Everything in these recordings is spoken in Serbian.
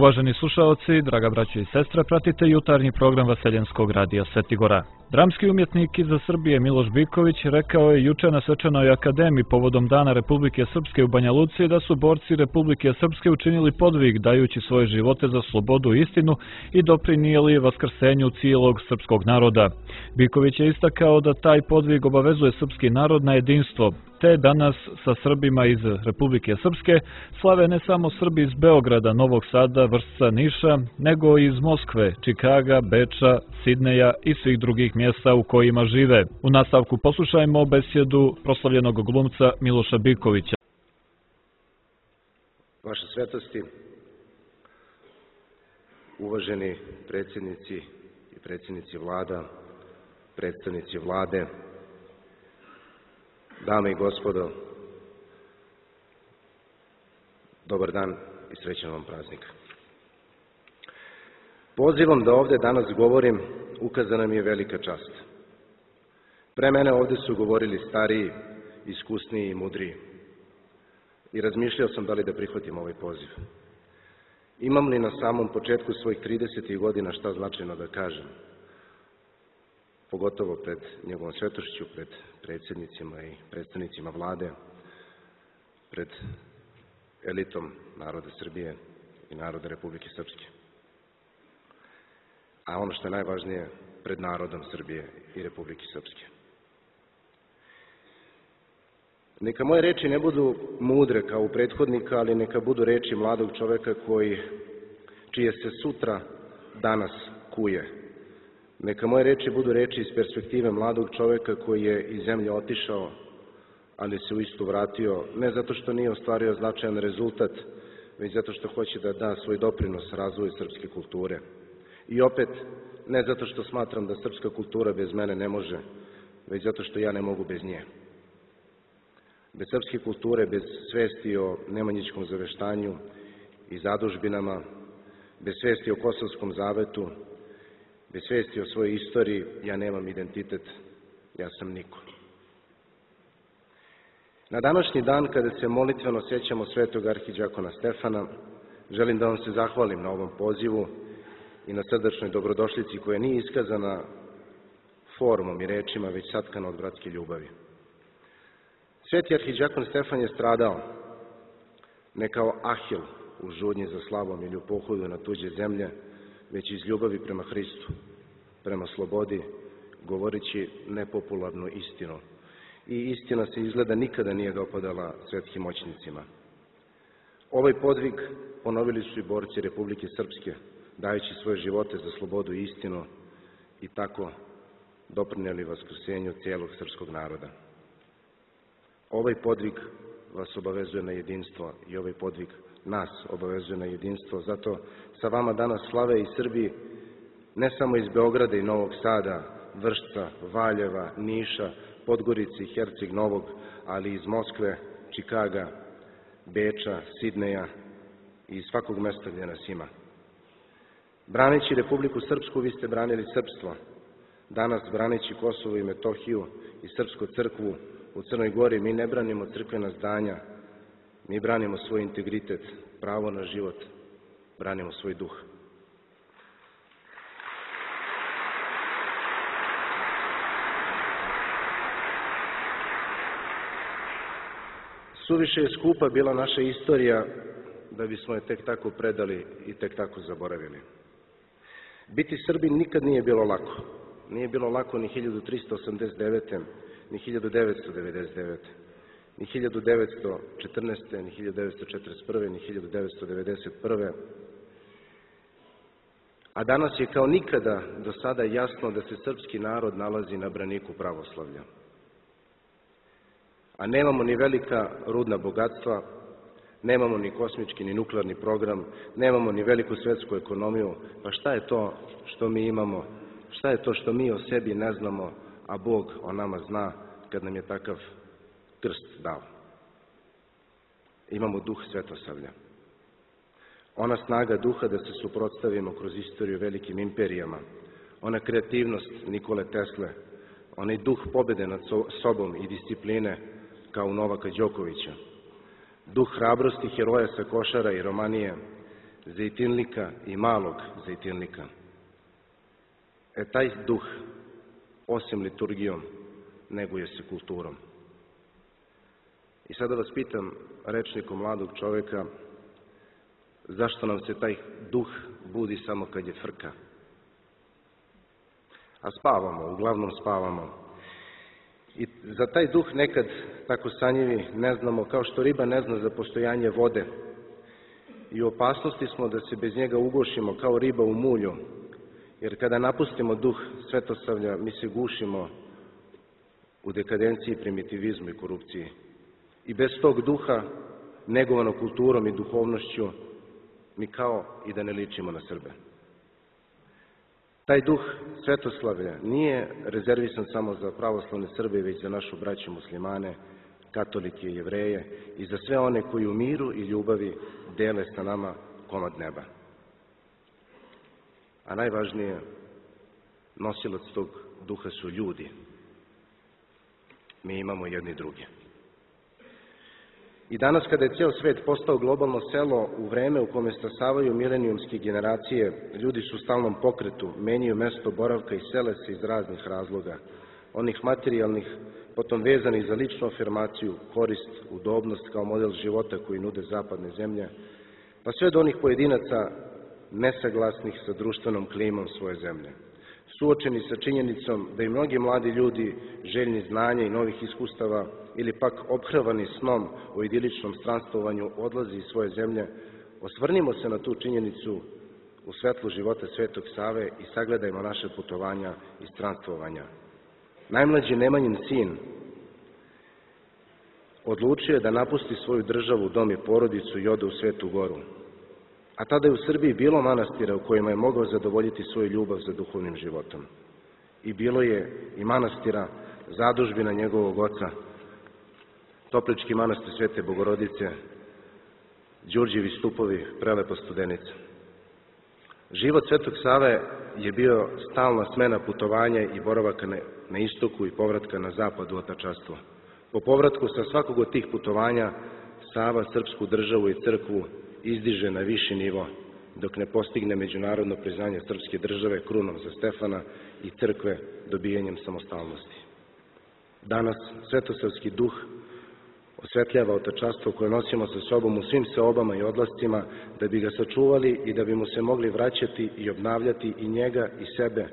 Uvaženi slušaoci, draga braćo i sestre, pratite jutarnji program Vaseljenskog radija Svetigora. Dramski umjetnik iz Srbije Miloš Biković rekao je juče na Svečanoj akademiji povodom Dana Republike Srpske u Banja Luci da su borci Republike Srpske učinili podvig dajući svoje živote za slobodu i istinu i doprinijeli vaskrsenju cijelog srpskog naroda. Biković je istakao da taj podvig obavezuje srpski narod na jedinstvo, te danas sa Srbima iz Republike Srpske slave ne samo Srbi iz Beograda, Novog Sada, Vršca, Niša, nego i iz Moskve, Čikaga, Beča, Sidneja i svih drugih mjesta u kojima žive. U nastavku poslušajmo besjedu proslavljenog glumca Miloša Bikovića. Vaše svetosti, uvaženi predsjednici i predsjednici vlada, predstavnici vlade, dame i gospodo, dobar dan i srećan vam praznik. Pozivom da ovdje danas govorim ukazana mi je velika čast. Pre mene ovdje su govorili stariji, iskusniji i mudriji. I razmišljao sam da li da prihvatim ovaj poziv. Imam li na samom početku svojih 30. godina šta značajno da kažem? Pogotovo pred njegovom svetošću, pred predsjednicima i predstavnicima vlade, pred elitom naroda Srbije i naroda Republike Srpske. A ono što je najvažnije, pred narodom Srbije i Republike Srpske. Neka moje reči ne budu mudre kao u prethodnika, ali neka budu reči mladog čoveka čije se sutra danas kuje. Neka moje reči budu reči iz perspektive mladog čoveka koji je iz zemlje otišao, ali se u istu vratio, ne zato što nije ostvario značajan rezultat, već zato što hoće da da svoj doprinos razvoju srpske kulture. I opet, ne zato što smatram da srpska kultura bez mene ne može, već zato što ja ne mogu bez nje. Bez srpske kulture, bez svesti o nemanjičkom zaveštanju i zadužbinama, bez svesti o Kosovskom zavetu, bez svesti o svojoj istoriji, ja nemam identitet, ja sam niko. Na današnji dan, kada se molitveno sjećamo svetog arhidijakona Stefana, želim da vam se zahvalim na ovom pozivu i na srdačnoj dobrodošlici koja nije iskazana formom i rečima, već satkana od bratske ljubavi. Sveti arhidijakon Stefan je stradao ne kao Ahil u žudnji za slavom ili u pohodu na tuđe zemlje, već iz ljubavi prema Hristu, prema slobodi, govoreći nepopularnu istinu. I istina se izgleda nikada nije dopadala svetskim moćnicima. Ovaj podvig ponovili su i borci Republike Srpske, dajući svoje živote za slobodu i istinu i tako doprinijeli vaskrsenju cijelog srpskog naroda. Ovaj podvig vas obavezuje na jedinstvo i ovaj podvig nas obavezuje na jedinstvo. Zato sa vama danas slave i Srbi, ne samo iz Beograda i Novog Sada, Vršca, Valjeva, Niša, Podgorice i Herceg Novog, ali iz Moskve, Čikaga, Beča, Sidneja i iz svakog mesta gdje nas ima. Braneći Republiku Srpsku, vi ste branili srpstvo. Danas, braneći Kosovo i Metohiju i Srpsku crkvu u Crnoj Gori, mi ne branimo crkvena zdanja, mi branimo svoj integritet, pravo na život, branimo svoj duh. Suviše je skupa bila naša istorija da bismo je tek tako predali i tek tako zaboravili. Biti Srbin nikad nije bilo lako. Nije bilo lako ni 1389. ni 1999. ni 1914. ni 1941. ni 1991. A danas je kao nikada do sada jasno da se srpski narod nalazi na braniku pravoslavlja. A nemamo ni velika rudna bogatstva, nemamo ni kosmički ni nuklearni program, nemamo ni veliku svetsku ekonomiju, pa šta je to što mi imamo, šta je to što mi o sebi ne znamo, a Bog o nama zna kad nam je takav krst dao. Imamo duh svetosavlja. Ona snaga duha da se suprotstavimo kroz istoriju velikim imperijama, ona kreativnost Nikole Tesle, onaj duh pobjede nad sobom i discipline kao u Novaka Đokovića, duh hrabrosti heroja sa Košara i Romanije, zejtinlika i malog zejtinlika. Taj duh, osim liturgijom, neguje se kulturom. I sada vas pitam, rečnikom mladog čoveka, zašto nam se taj duh budi samo kad je frka? A spavamo, uglavnom spavamo. I za taj duh nekad tako sanjivi ne znamo, kao što riba ne zna za postojanje vode. I u opasnosti smo da se bez njega ugušimo kao riba u mulju, jer kada napustimo duh svetosavlja, mi se gušimo u dekadenciji, primitivizmu i korupciji. I bez tog duha, negovano kulturom i duhovnošću, mi kao i da ne ličimo na Srbe. Taj duh svetoslavlja nije rezervisan samo za pravoslavne Srbe, već za našu braću muslimane, katolike i jevreje i za sve one koji u miru i ljubavi dele sa nama komad neba. A najvažnije, nosilac tog duha su ljudi. Mi imamo jedni druge. I danas kada je ceo svet postao globalno selo, u vreme u kome stasavaju milenijumske generacije, ljudi su u stalnom pokretu, menjaju mesto boravka i sele se iz raznih razloga, onih materijalnih, potom vezanih za ličnu afirmaciju, korist, udobnost kao model života koji nude zapadne zemlje, pa sve do onih pojedinaca nesaglasnih sa društvenom klimom svoje zemlje. Suočeni sa činjenicom da i mnogi mladi ljudi, željni znanja i novih iskustava, ili pak ophrvani snom o idiličnom stranstovanju, odlazi iz svoje zemlje, osvrnimo se na tu činjenicu u svetlu života Svetog Save i sagledajmo naše putovanja i stranstvovanja. Najmlađi Nemanjin sin odlučio je da napusti svoju državu, dom i porodicu i ode u Svetu Goru. A tada je u Srbiji bilo manastira u kojima je mogao zadovoljiti svoju ljubav za duhovnim životom. I bilo je i manastira, zadužbina njegovog oca, Toplički manastir Svete Bogorodice, Đurđevi stupovi, prelepa Studenica. Život Svetog Save je bio stalna smena putovanja i boravaka na istoku i povratka na zapad u otačastvo. Po povratku sa svakog od tih putovanja Sava srpsku državu i crkvu izdiže na viši nivo, dok ne postigne međunarodno priznanje srpske države krunom za Stefana i crkve dobijanjem samostalnosti. Danas svetosavski duh osvetljava otačastvo koje nosimo sa sobom u svim seobama i odlascima, da bi ga sačuvali i da bi mu se mogli vraćati i obnavljati i njega i sebe.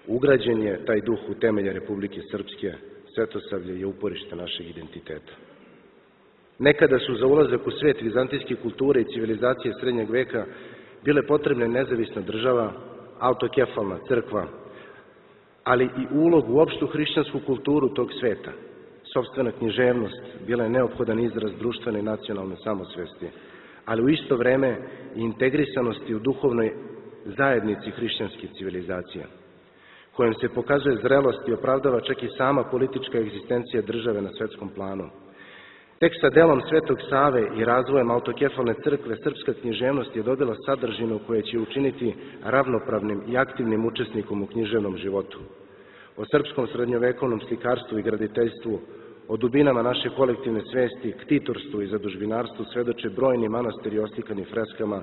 Ugrađen je taj duh u temelje Republike Srpske, Svetosavlje je uporište našeg identiteta. Nekada su za ulazak u svet vizantijske kulture i civilizacije srednjeg veka bile potrebne nezavisna država, autokefalna crkva, ali i ulog u opštu hrišćansku kulturu tog sveta. Sopstvena književnost bila je neophodan izraz društvene i nacionalne samosvesti, ali u isto vreme i integrisanosti u duhovnoj zajednici hrišćanske civilizacije, kojom se pokazuje zrelost i opravdava čak i sama politička egzistencija države na svetskom planu. Tek sa delom Svetog Save i razvojem autokefalne crkve, srpska književnost je dobila sadržinu koja će učiniti ravnopravnim i aktivnim učesnikom u književnom životu. O srpskom srednjovekovnom slikarstvu i graditeljstvu, o dubinama naše kolektivne svesti, ktitorstvu i zadužbinarstvu svedoče brojni manastiri oslikani freskama,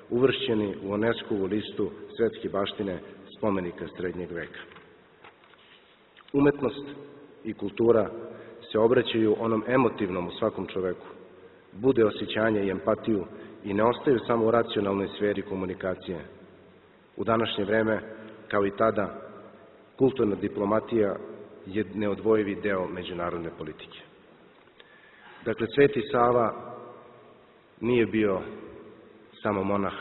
uvršćeni u UNESCO-vu listu svetske baštine spomenika srednjeg veka. Umetnost i kultura se obraćaju onom emotivnom u svakom čoveku, bude osjećanje i empatiju i ne ostaju samo u racionalnoj sferi komunikacije. U današnje vreme, kao i tada, kulturna diplomatija je neodvojivi deo međunarodne politike. Dakle, Sveti Sava nije bio samo monah,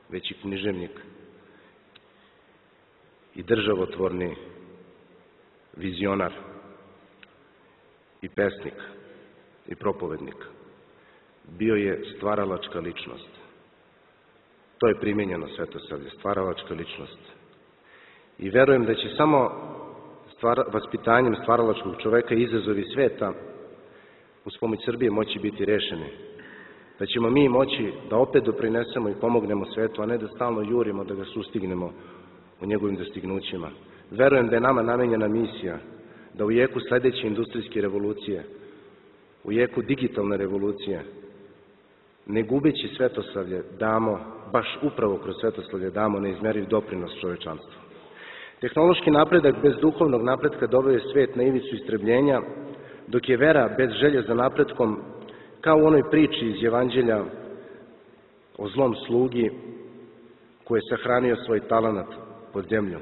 već i književnik i državotvorni vizionar i pesnik i propovednik. Bio je stvaralačka ličnost. To je primijenjeno Svetosavlje, stvaralačka ličnost. I verujem da će samo vaspitanjem stvaralačkog čoveka i izazovi sveta uz pomoć Srbije moći biti rešeni. Da ćemo mi moći da opet doprinesemo i pomognemo svetu, a ne da stalno jurimo da ga sustignemo u njegovim dostignućima. Verujem da je nama namenjena misija da u jeku sledeće industrijske revolucije, u jeku digitalne revolucije, ne gubeći svetoslavlje damo, baš upravo kroz svetoslavlje damo neizmeriv doprinos čovečanstvu. Tehnološki napredak bez duhovnog napretka doveo je svet na ivicu istrebljenja, dok je vera bez želje za napretkom, kao u onoj priči iz Evanđelja o zlom slugi koji je sahranio svoj talenat pod zemlju.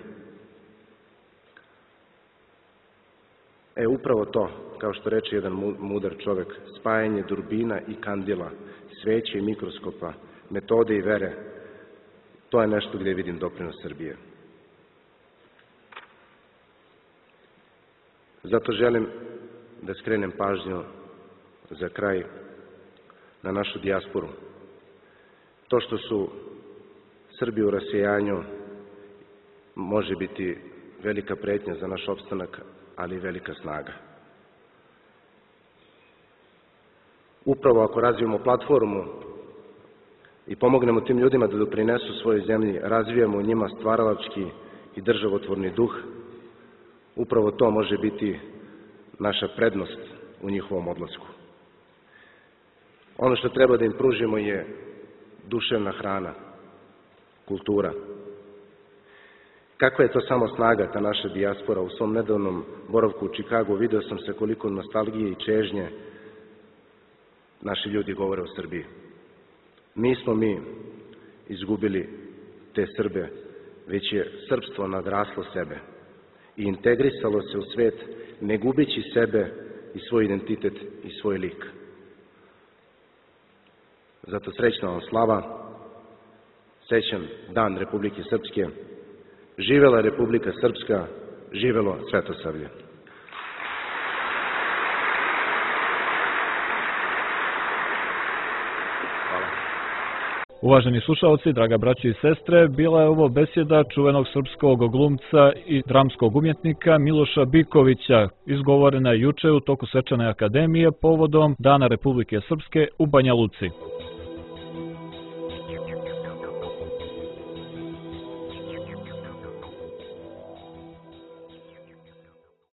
Upravo to, kao što reče jedan mudar čovek, spajanje durbina i kandila, sveće i mikroskopa, metode i vere, to je nešto gdje vidim doprinos Srbije. Zato želim da skrenem pažnju za kraj na našu dijasporu. To što su Srbi u rasejanju može biti velika pretnja za naš opstanak, ali i velika snaga. Upravo ako razvijemo platformu i pomognemo tim ljudima da doprinesu svojoj zemlji, razvijamo u njima stvaralački i državotvorni duh, upravo to može biti naša prednost u njihovom odlasku. Ono što treba da im pružimo je duševna hrana, kultura. Kakva je to samo snaga, ta naša dijaspora. U svom nedavnom boravku u Čikagu video sam se koliko nostalgije i čežnje naši ljudi govore o Srbiji. Nismo mi izgubili te Srbe, već je srpstvo nadraslo sebe i integrisalo se u svet, ne gubeći sebe i svoj identitet i svoj lik. Zato srećna vam slava, srećan Dan Republike Srpske, živela Republika Srpska, živelo Svetosavlje. Uvaženi slušalci, draga braćo i sestre, bila je ovo besjeda čuvenog srpskog glumca i dramskog umjetnika Miloša Bikovića, izgovorena juče u toku Svečane akademije povodom Dana Republike Srpske u Banja Luci.